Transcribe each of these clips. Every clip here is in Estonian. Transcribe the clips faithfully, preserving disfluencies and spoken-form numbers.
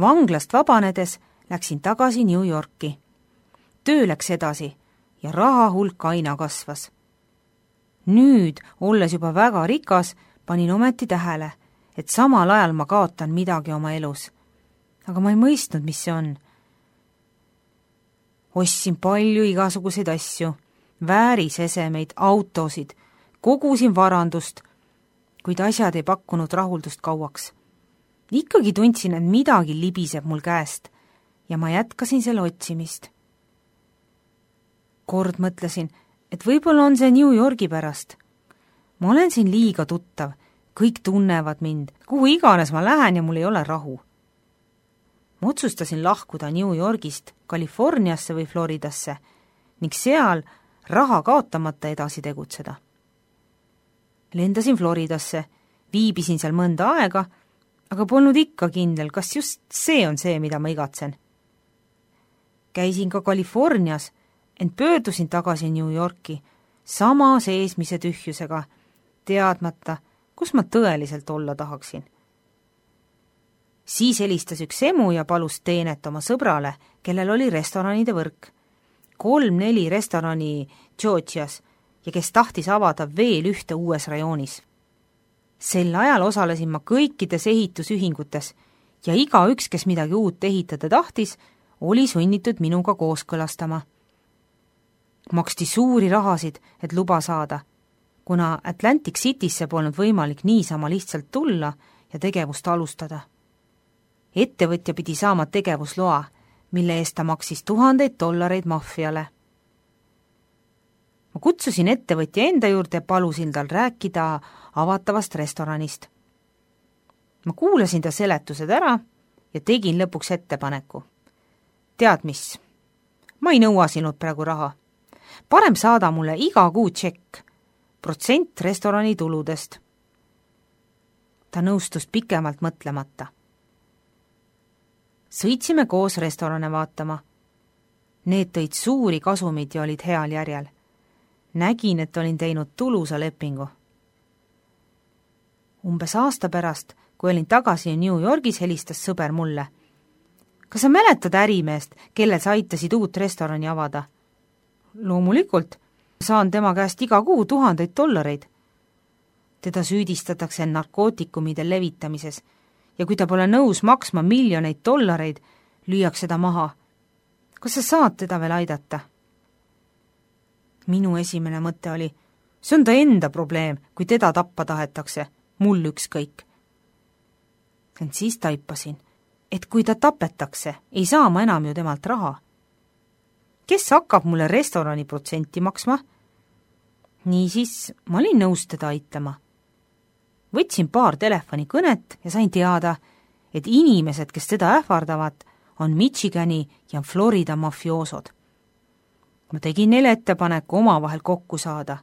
Vanglast vabanedes läksin tagasi New Yorki. Töö läks edasi ja raha hulk aina kasvas. Nüüd, olles juba väga rikas, panin ometi tähele, et samal ajal ma kaotan midagi oma elus. Aga ma ei mõistnud, mis see on. Ostsin palju igasuguseid asju, väärisesemeid, autosid, kogusin varandust, kuid asjad ei pakkunud rahuldust kauaks. Ikkagi tundsin, et midagi libiseb mul käest ja ma jätkasin selle otsimist. Kord mõtlesin, et võib-olla on see New Yorgi pärast. Ma olen siin liiga tuttav, kõik tunnevad mind, kuhu iganes ma lähen ja mul ei ole rahu. Ma otsustasin lahkuda New Yorgist Californiasse või Floridasse ning seal raha kaotamata edasi tegutseda. Lendasin Floridasse, viibisin seal mõnda aega, aga polnud ikka kindel, kas just see on see, mida ma igatsen. Käisin ka Californias, ent pöördusin tagasi New Yorki sama seesmise tühjusega, teadmata, kus ma tõeliselt olla tahaksin. Siis helistas üks emu ja palus teenet oma sõbrale, kellel oli restoranide võrk. Kolm-neli restorani Georgias ja kes tahtis avada veel ühte uues rajoonis. Sel ajal osalesin ma kõikides ehitusühingutes ja iga üks, kes midagi uut ehitada tahtis, oli sunnitud minuga kooskõlastama. Maksti suuri rahasid, et luba saada, kuna Atlantic Citysse polnud võimalik niisama lihtsalt tulla ja tegevust alustada. Ettevõtja pidi saama tegevusloa, mille eest ta maksis tuhandeid dollareid maffiale. Ma kutsusin ettevõtja enda juurde ja palusin tal rääkida avatavast restoranist. Ma kuulasin ta seletused ära ja tegin lõpuks ettepaneku. Tead mis? Ma ei nõua sinult praegu raha. Parem saada mulle iga kuu tšekk, protsent restorani tuludest. Ta nõustus pikemalt mõtlemata. Sõitsime koos restorane vaatama. Need tõid suuri kasumid ja olid heal järjel. Nägin, et olin teinud tulusa lepingu. Umbes aasta pärast, kui olin tagasi New Yorgis, helistas sõber mulle. Kas sa mäletad ärimeest, kellel sa aitasid uut restorani avada? Loomulikult, saan tema käest iga kuu tuhandeid dollareid. Teda süüdistatakse narkootikumide levitamises ja kui ta pole nõus maksma miljoneid dollareid, lüüakse ta maha. Kas sa saad teda veel aidata? Minu esimene mõte oli, see on ta enda probleem, kui teda tappa tahetakse, mul ükskõik. Ent siis taipasin, et kui ta tapetakse, ei saa ma enam ju temalt raha. Kes hakkab mulle restorani protsenti maksma? Niisiis, ma olin nõus teda aitama. Võtsin paar telefonikõnet ja sain teada, et inimesed, kes teda ähvardavad, on Michigani ja Florida mafioosod. Ma tegin neile ettepaneku omavahel kokku saada.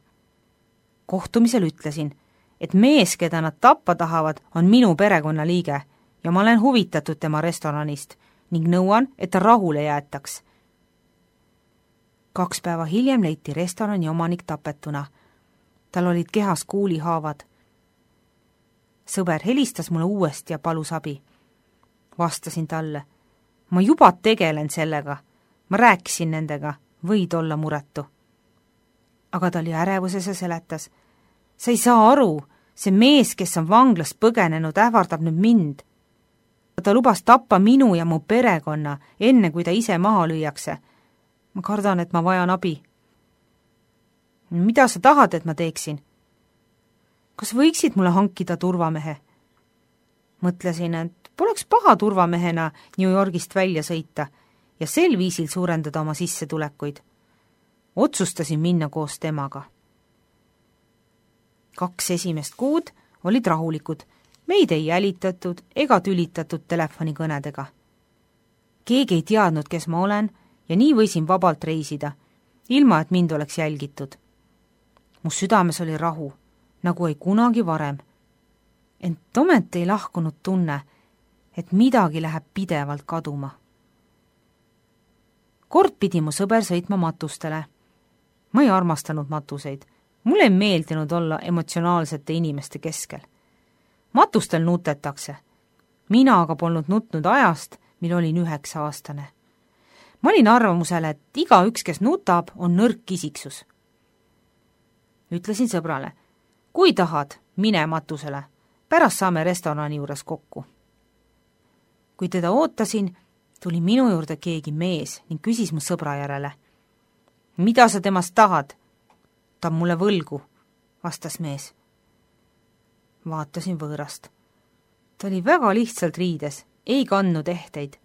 Kohtumisel ütlesin, et mees, keda nad tappa tahavad, on minu perekonnaliige ja ma olen huvitatud tema restoranist ning nõuan, et ta rahule jäetaks. Kaks päeva hiljem leiti restorani omanik tapetuna. Tal olid kehas kuulihaavad. Sõber helistas mulle uuesti ja palus abi. Vastasin talle. Ma juba tegelen sellega. Ma rääkisin nendega. Võid olla muretu. Aga ta oli ärevuses ja seletas. Sa ei saa aru, see mees, kes on vanglast põgenenud, ähvardab nüüd mind. Ta lubas tappa minu ja mu perekonna, enne kui ta ise maha lüüakse. Ma kardan, et ma vajan abi. Mida sa tahad, et ma teeksin? Kas võiksid mulle hankida turvamehe? Mõtlesin, et poleks paha turvamehena New Yorgist välja sõita ja sel viisil suurendada oma sissetulekuid. Otsustasin minna koos temaga. Kaks esimest kuud olid rahulikud, meid ei jälitatud ega tülitatud telefonikõnedega. Keegi ei teadnud, kes ma olen ja nii võisin vabalt reisida, ilma et mind oleks jälgitud. Mu südames oli rahu, nagu ei kunagi varem. Ent ometi ei lahkunud tunne, et midagi läheb pidevalt kaduma. Kord pidi mu sõber sõitma matustele. Ma ei armastanud matuseid. Mulle ei meeldinud olla emotsionaalsete inimeste keskel. Matustel nutetakse. mina aga polnud nutnud ajast, mil olin üheksa aastane. Ma olin arvamusel, et igaüks, kes nutab, on nõrk isiksus. Ütlesin sõbrale, kui tahad, mine matusele, pärast saame restorani juures kokku. Kui teda ootasin, tuli minu juurde keegi mees ning küsis mu sõbra järele. Mida sa temast tahad? Ta on mulle võlgu, vastas mees. Vaatasin võõrast. Ta oli väga lihtsalt riides, ei kandnud ehteid.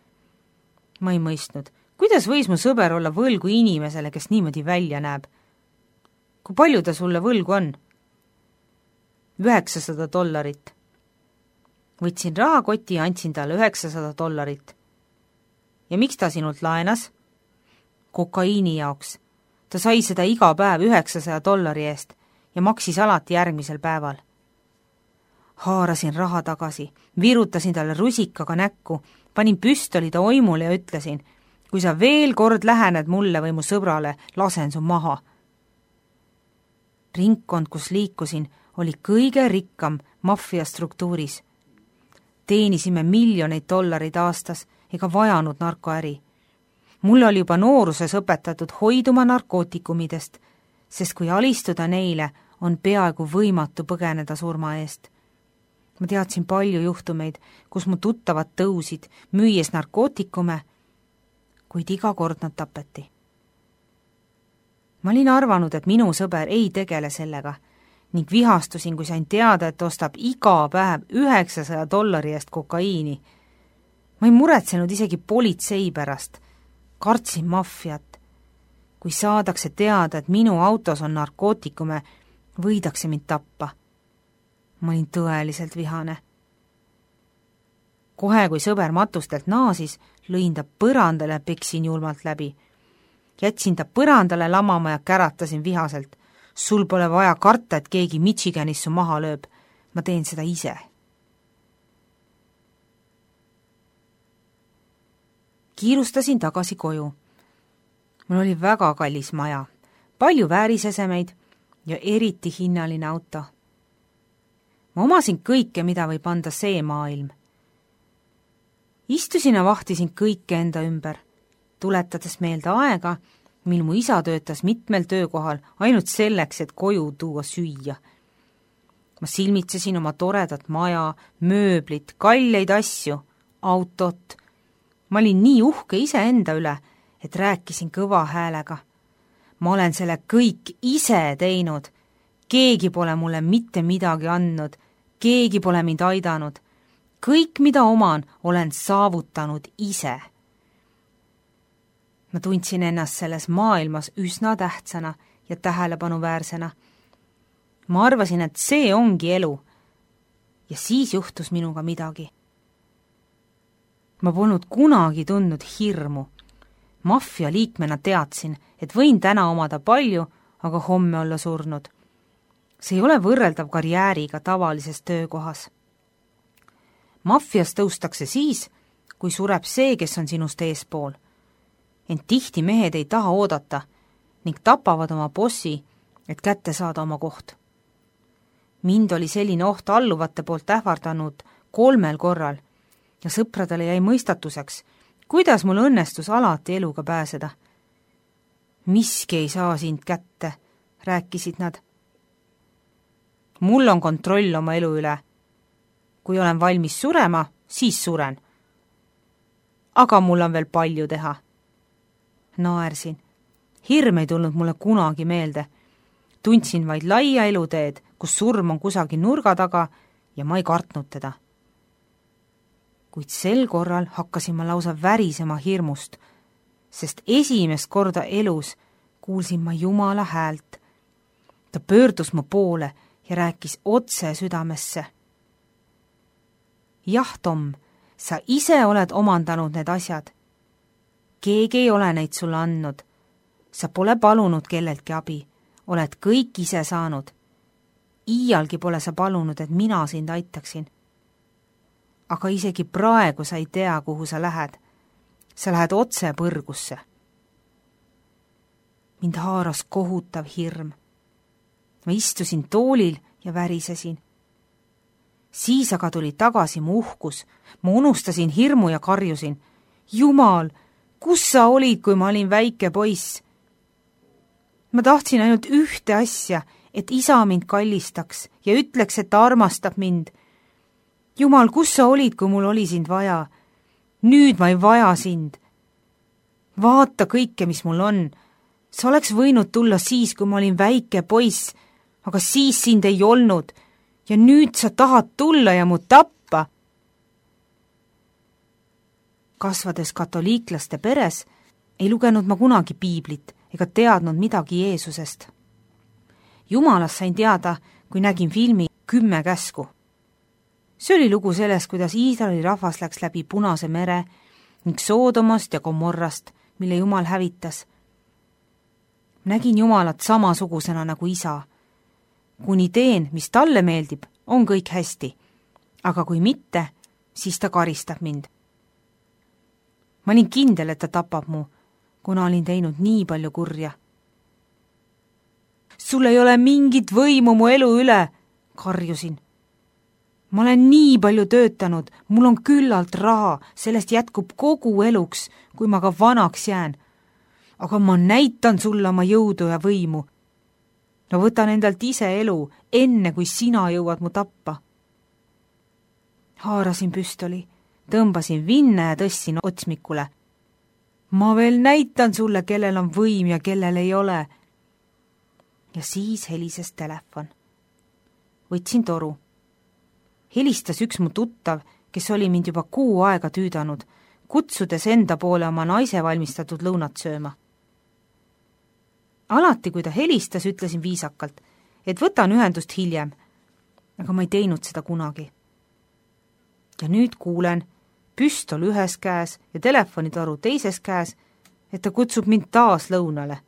Ma ei mõistnud, kuidas võis mu sõber olla võlgu inimesele, kes niimoodi välja näeb? Kui palju ta sulle võlgu on? üheksasada dollarit. Võtsin rahakoti ja andsin talle üheksasada dollarit. Ja miks ta sinult laenas? Kokaiini jaoks. Ta sai seda iga päev üheksasaja dollari eest ja maksis alati järgmisel päeval. Haarasin raha tagasi, virutasin talle rusikaga näkku, panin püstoli ta oimule ja ütlesin, kui sa veel kord lähened mulle või mu sõbrale, lasen su maha. Ringkond, kus liikusin, oli kõige rikkam maffia struktuuris. Teenisime miljoneid dollareid aastas ega vajanud narkoäri. Mulle oli juba nooruses õpetatud hoiduma narkootikumidest, sest kui alistuda neile, on peaaegu võimatu põgeneda surma eest. Ma teadsin palju juhtumeid, kus mu tuttavad tõusid, müües narkootikume, kuid iga kord nad tapeti. Ma olin arvanud, et minu sõber ei tegele sellega ning vihastusin, kui sain teada, et ostab iga päev üheksasaja dollari eest kokaiini. Ma ei muretsenud isegi politsei pärast. Kartsin maffiat. Kui saadakse teada, et minu autos on narkootikume, võidakse mind tappa. Ma olin tõeliselt vihane. Kohe, kui sõber matustelt naasis, lõin ta põrandale ja peksin julmalt läbi. Jätsin ta põrandale lamama ja käratasin vihaselt. Sul pole vaja karta, et keegi Michiganis su maha lööb. Ma teen seda ise. Kiirustasin tagasi koju. Mul oli väga kallis maja, palju väärisesemeid ja eriti hinnaline auto. Ma omasin kõike, mida võib anda see maailm. Istusin ja vahtisin kõike enda ümber, tuletades meelde aega, mil mu isa töötas mitmel töökohal ainult selleks, et koju tuua süüa. Ma silmitsesin oma toredat maja, mööblit, kalleid asju, autot. Ma olin nii uhke iseenda üle, et rääkisin kõva häälega. Ma olen selle kõik ise teinud. Keegi pole mulle mitte midagi andnud, keegi pole mind aidanud. Kõik, mida oman, olen saavutanud ise. Ma tundsin ennast selles maailmas üsna tähtsana ja tähelepanuväärsena. Ma arvasin, et see ongi elu. Ja siis juhtus minuga midagi. Ma polnud kunagi tundnud hirmu. Maffia liikmena teadsin, et võin täna omada palju, aga homme olla surnud. See ei ole võrreldav karjääriga tavalises töökohas. Maffias tõustakse siis, kui sureb see, kes on sinust eespool. Ent tihti mehed ei taha oodata ning tapavad oma bossi, et kätte saada oma koht. Mind oli selline oht alluvate poolt ähvardanud kolmel korral ja sõpradele jäi mõistatuseks, kuidas mul õnnestus alati eluga pääseda. Miski ei saa sind kätte, rääkisid nad. Mul on kontroll oma elu üle. Kui olen valmis surema, siis suren. Aga mul on veel palju teha. Naersin. Hirm ei tulnud mulle kunagi meelde. Tundsin vaid laia eluteed, kus surm on kusagil nurga taga ja ma ei kartnud teda. Kuid sel korral hakkasin ma lausa värisema hirmust, sest esimest korda elus kuulsin ma Jumala häält. Ta pöördus mu poole ja rääkis otse südamesse. Jah, Tom, sa ise oled omandanud need asjad. Keegi ei ole neid sulle andnud. Sa pole palunud kelleltki abi. Oled kõik ise saanud. Iialgi pole sa palunud, et mina sind aitaksin. Aga isegi praegu sa ei tea, kuhu sa lähed. Sa lähed otse põrgusse. Mind haaras kohutav hirm. Ma istusin toolil ja värisesin. siis aga tuli tagasi mu uhkus. Ma unustasin hirmu ja karjusin. Jumal, kus sa olid, kui ma olin väike poiss? Ma tahtsin ainult ühte asja, et isa mind kallistaks ja ütleks, et ta armastab mind. Jumal, kus sa olid, kui mul oli sind vaja? Nüüd ma ei vaja sind. Vaata kõike, mis mul on. Sa oleks võinud tulla siis, kui ma olin väike poiss, aga siis sind ei olnud ja nüüd sa tahad tulla ja mu tappa. Kasvades katoliiklaste peres, ei lugenud ma kunagi piiblit ega teadnud midagi Jeesusest. Jumalast sain teada, kui nägin filmi Kümme käsku. See oli lugu sellest, kuidas Iisraeli rahvas läks läbi Punase mere ning Soodomast ja Gomorrast, mille Jumal hävitas. Nägin Jumalat samasugusena nagu isa. Kuni teen, mis talle meeldib, on kõik hästi, aga kui mitte, siis ta karistab mind. Ma olin kindel, et ta tapab mu, kuna olin teinud nii palju kurja. Sul ei ole mingit võimu mu elu üle, karjusin. Ma olen nii palju töötanud, mul on küllalt raha, sellest jätkub kogu eluks, kui ma ka vanaks jään. Aga ma näitan sulle oma jõudu ja võimu. No võtan endalt ise elu, enne kui sina jõuad mu tappa. Haarasin püstoli, tõmbasin vinne ja tõssin otsmikule. Ma veel näitan sulle, kellel on võim ja kellel ei ole. Ja siis helises telefon. Võtsin toru. Helistas üks mu tuttav, kes oli mind juba kuu aega tüüdanud, kutsudes enda poole oma naise valmistatud lõunat sööma. Alati, kui ta helistas, ütlesin viisakalt, et võtan ühendust hiljem, aga ma ei teinud seda kunagi. Ja nüüd kuulen, püstol ühes käes ja telefonitoru teises käes, et ta kutsub mind taas lõunale.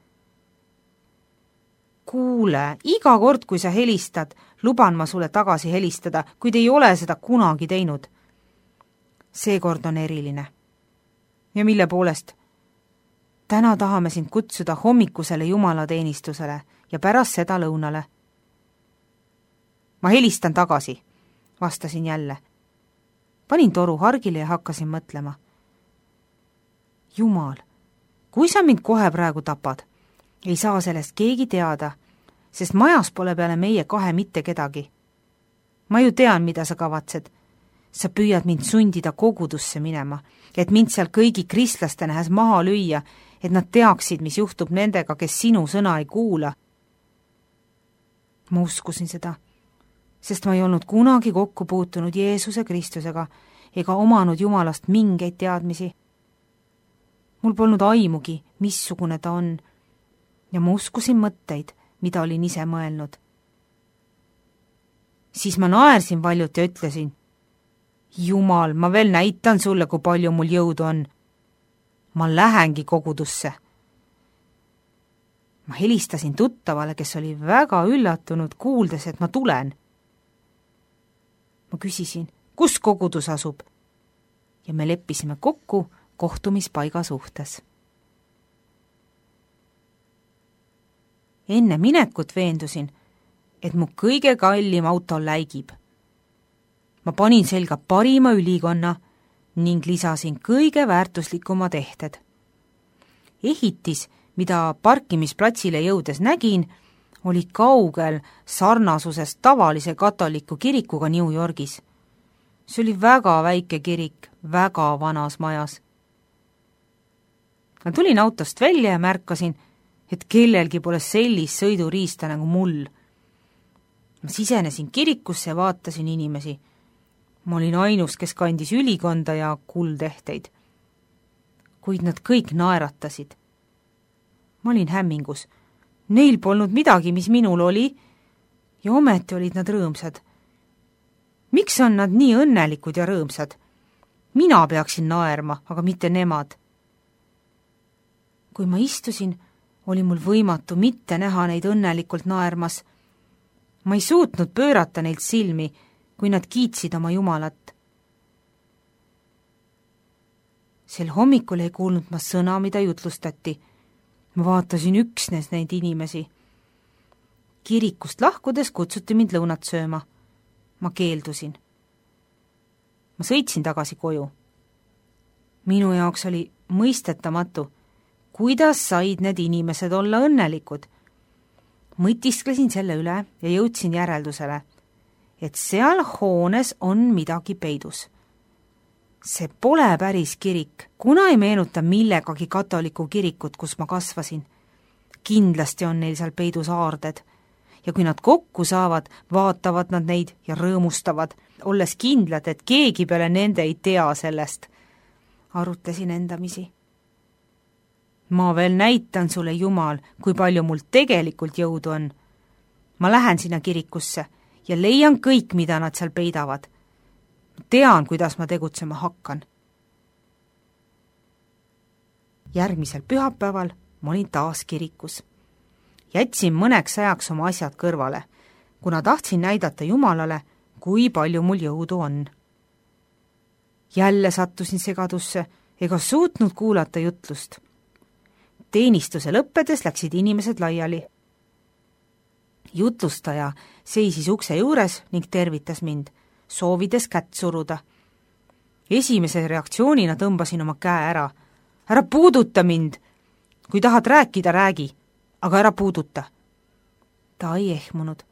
Kuule, iga kord, kui sa helistad, luban ma sulle tagasi helistada, kuid ei ole seda kunagi teinud. Seekord on eriline. Ja mille poolest? Täna tahame sind kutsuda hommikusele jumalateenistusele ja pärast seda lõunale. Ma helistan tagasi, vastasin jälle. Panin toru hargile ja hakkasin mõtlema. Jumal, kui sa mind kohe praegu tapad, ei saa sellest keegi teada, sest majas pole peale meie kahe mitte kedagi. Ma ju tean, mida sa kavatsed. Sa püüad mind sundida kogudusse minema, et mind seal kõigi kristlaste nähes maha lüüa, et nad teaksid, mis juhtub nendega, kes sinu sõna ei kuula. Ma uskusin seda, sest ma ei olnud kunagi kokku puutunud Jeesuse Kristusega ega omanud Jumalast mingeid teadmisi. Mul polnud aimugi, missugune ta on, ja ma uskusin mõtteid, mida olin ise mõelnud. Siis ma naersin valjult ja ütlesin, Jumal, ma veel näitan sulle, kui palju mul jõudu on. Ma lähengi kogudusse. Ma helistasin tuttavale, kes oli väga üllatunud, kuuldes, et ma tulen. Ma küsisin, kus kogudus asub? Ja me leppisime kokku kohtumispaiga suhtes. Enne minekut veendusin, et mu kõige kallim auto läigib. Ma panin selga parima ülikonna ning lisasin kõige väärtuslikumad ehted. Ehitis, mida parkimisplatsile jõudes nägin, oli kaugel sarnasusest tavalise katoliku kirikuga New Yorgis. See oli väga väike kirik, väga vanas majas. Ma tulin autost välja ja märkasin, et kellelgi pole sellist sõiduriista nagu mul. Ma sisenesin kirikusse ja vaatasin inimesi. Ma olin ainus, kes kandis ülikonda ja kuldehteid. Kuid nad kõik naeratasid. Ma olin hämmingus. Neil polnud midagi, mis minul oli, ja ometi olid nad rõõmsad. Miks on nad nii õnnelikud ja rõõmsad? Mina peaksin naerma, aga mitte nemad. Kui ma istusin, oli mul võimatu mitte näha neid õnnelikult naermas. Ma ei suutnud pöörata neilt silmi, kui nad kiitsid oma Jumalat. Sel hommikul ei kuulnud ma sõna, mida jutlustati. Ma vaatasin üksnes neid inimesi. Kirikust lahkudes kutsuti mind lõunat sööma. Ma keeldusin. ma sõitsin tagasi koju. minu jaoks oli mõistetamatu, kuidas said need inimesed olla õnnelikud. mõtisklesin selle üle ja jõudsin järeldusele, et seal hoones on midagi peidus. see pole päris kirik, kuna ei meenuta millegagi katoliku kirikut, kus ma kasvasin. kindlasti on neil seal peidus aarded ja kui nad kokku saavad, vaatavad nad neid ja rõõmustavad, olles kindlad, et keegi peale nende ei tea sellest. arutlesin endamisi. ma veel näitan sulle, Jumal, kui palju mul tegelikult jõudu on. ma lähen sinna kirikusse ja leian kõik, mida nad seal peidavad. tean, kuidas ma tegutsema hakkan. järgmisel pühapäeval ma olin taas kirikus. jätsin mõneks ajaks oma asjad kõrvale, kuna tahtsin näidata Jumalale, kui palju mul jõudu on. jälle sattusin segadusse ega suutnud kuulata jutlust. teenistuse lõppedes läksid inimesed laiali. jutlustaja seisis ukse juures ning tervitas mind, soovides kätt suruda. esimese reaktsioonina tõmbasin oma käe ära. ära puuduta mind! kui tahad rääkida, räägi, aga ära puuduta. ta ei ehmunud,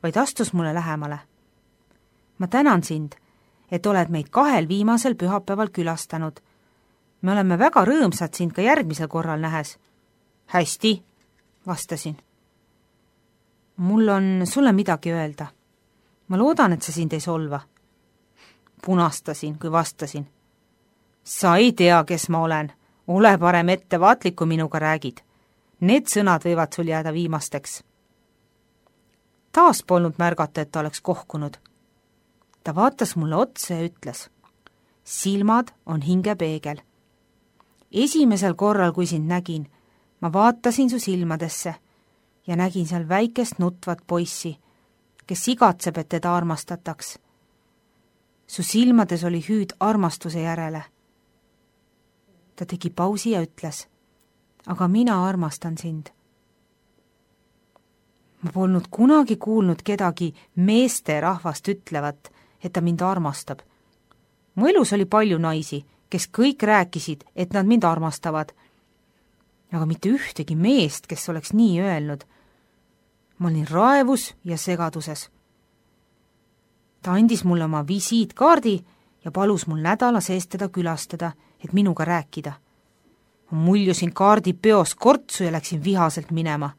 vaid astus mulle lähemale. ma tänan sind, et oled meid kahel viimasel pühapäeval külastanud. me oleme väga rõõmsad sind ka järgmisel korral nähes. hästi, vastasin. mul on sulle midagi öelda. ma loodan, et see sind ei solva. punastasin, kui vastasin. sa ei tea, kes ma olen. ole parem ettevaatlik, kui minuga räägid. Need sõnad võivad sul jääda viimasteks. taas polnud märgata, et ta oleks kohkunud. ta vaatas mulle otsa ja ütles: silmad on hingepeegel. esimesel korral, kui sind nägin, ma vaatasin su silmadesse ja nägin seal väikest nutvat poissi, kes igatseb, et teda armastataks. su silmades oli hüüd armastuse järele. ta tegi pausi ja ütles: aga mina armastan sind. ma polnud kunagi kuulnud kedagi meesterahvast ütlevat, et ta mind armastab. mu elus oli palju naisi, kes kõik rääkisid, et nad mind armastavad, aga mitte ühtegi meest, kes oleks nii öelnud. ma olin raevus ja segaduses. ta andis mulle oma visiitkaardi ja palus mul nädala sees teda külastada, et minuga rääkida. ma muljusin kaardi peos kortsu ja läksin vihaselt minema.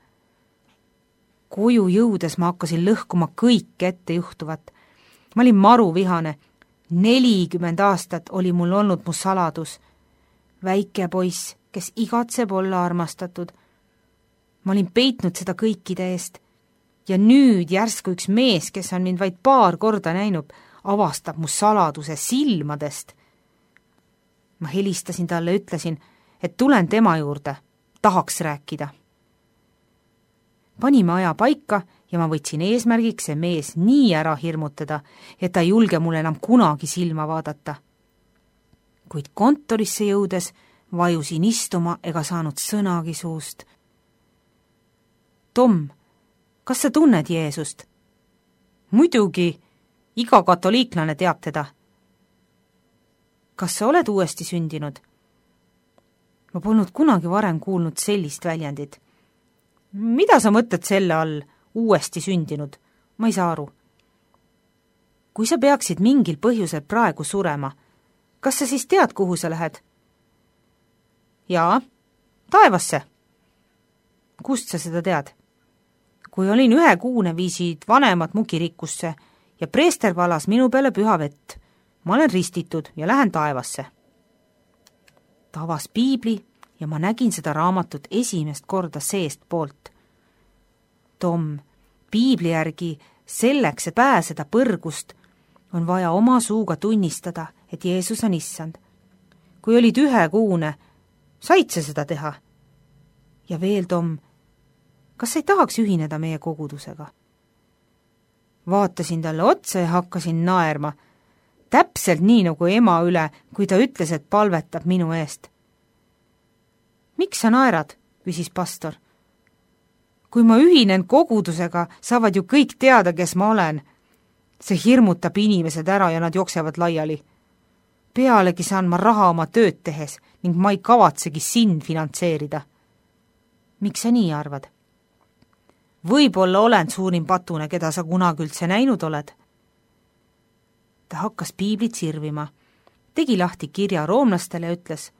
koju jõudes ma hakkasin lõhkuma kõike ette juhtuvat. ma olin maruvihane. nelikümmend aastat oli mul olnud mu saladus. väike poiss, kes igatseb olla armastatud. ma olin peitnud seda kõikide eest. ja nüüd järsku üks mees, kes on mind vaid paar korda näinud, avastab mu saladuse silmadest. ma helistasin talle, ütlesin, et tulen tema juurde, tahaks rääkida. panime aja paika ja ma võtsin eesmärgiks see mees nii ära hirmutada, et ta ei julge mulle enam kunagi silma vaadata. kuid kontorisse jõudes vajusin istuma ega saanud sõnagi suust. Tom, kas sa tunned Jeesust? muidugi, iga katoliiklane teab teda. kas sa oled uuesti sündinud? ma polnud kunagi varem kuulnud sellist väljendit. mida sa mõtled selle all, uuesti sündinud? ma ei saa aru. kui sa peaksid mingil põhjusel praegu surema, kas sa siis tead, kuhu sa lähed? jaa, taevasse. kust sa seda tead? kui olin ühekuune, viisid vanemad mu kirikusse ja preester valas minu peale püha vett. ma olen ristitud ja lähen taevasse. ta avas piibli ja ma nägin seda raamatut esimest korda seestpoolt. Tom, piibli järgi selleks, et pääseda põrgust, on vaja oma suuga tunnistada, et Jeesus on issand. kui olid ühekuune, said sa seda teha? ja veel, Tom, kas sa ei tahaks ühineda meie kogudusega? vaatasin talle otsa ja hakkasin naerma, täpselt nii nagu ema üle, kui ta ütles, et palvetab minu eest. miks sa naerad? küsis pastor. kui ma ühinen kogudusega, saavad ju kõik teada, kes ma olen. see hirmutab inimesed ära ja nad jooksevad laiali. pealegi saan ma raha oma tööd tehes ning ma ei kavatsegi sind finantseerida. Miks sa nii arvad? Võib-olla olen suurim patune, keda sa kunagi üldse näinud oled. Ta hakkas piiblit sirvima, tegi lahti kirja roomlastele ja ütles: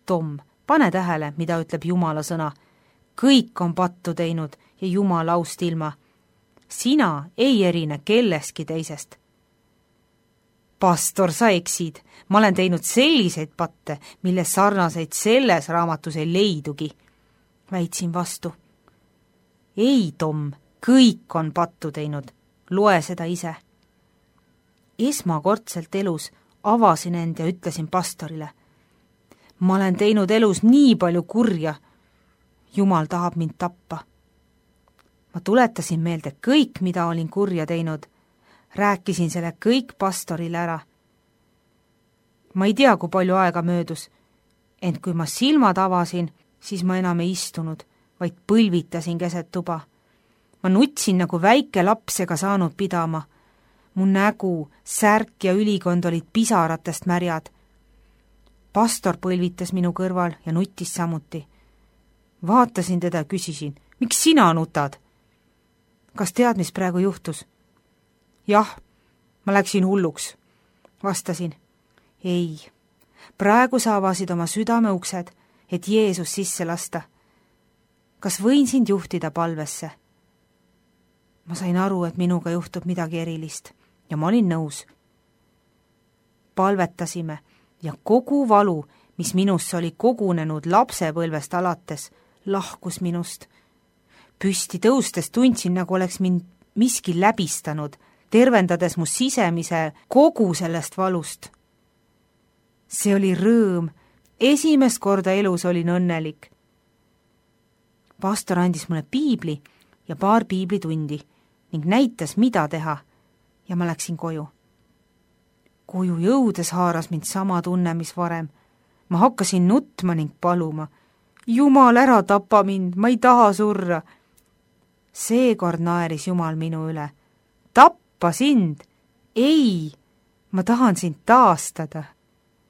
Tom, pane tähele, mida ütleb Jumala sõna. Kõik on pattu teinud ja Jumala aust ilma. Sina ei erine kelleski teisest. Pastor, sa eksid. Ma olen teinud selliseid patte, mille sarnaseid selles raamatus ei leidugi. Väitsin vastu. Ei, Tom, kõik on pattu teinud. Loe seda ise. Esmakordselt elus avasin end ja ütlesin pastorile: ma olen teinud elus nii palju kurja. Jumal tahab mind tappa. Ma tuletasin meelde kõik, mida olin kurja teinud. Rääkisin selle kõik pastorile ära. Ma ei tea, kui palju aega möödus, ent kui ma silmad avasin, siis ma enam ei istunud, vaid põlvitasin keset tuba. Ma nutsin nagu väike laps ega saanud pidama. Mu nägu, särk ja ülikond olid pisaratest märjad. Pastor põlvitas minu kõrval ja nuttis samuti. Vaatasin teda ja küsisin: miks sina nutad? Kas tead, mis praegu juhtus? Jah, ma läksin hulluks, vastasin. Ei, praegu sa avasid oma südame uksed, et Jeesus sisse lasta. Kas võin sind juhtida palvesse? Ma sain aru, et minuga juhtub midagi erilist ja ma olin nõus. Palvetasime ja kogu valu, mis minusse oli kogunenud lapsepõlvest alates, lahkus minust. Püsti tõustes tundsin, nagu oleks mind miski läbistanud, tervendades mu sisemise kogu sellest valust. See oli rõõm. Esimest korda elus olin õnnelik. Pastor andis mulle piibli ja paar piiblitundi ning näitas, mida teha, ja ma läksin koju. Koju jõudes haaras mind sama tunne, mis varem. Ma hakkasin nutma ning paluma: Jumal, ära tapa mind, ma ei taha surra. Seekord naeris Jumal minu üle. Tappa sind? Ei, ma tahan sind taastada.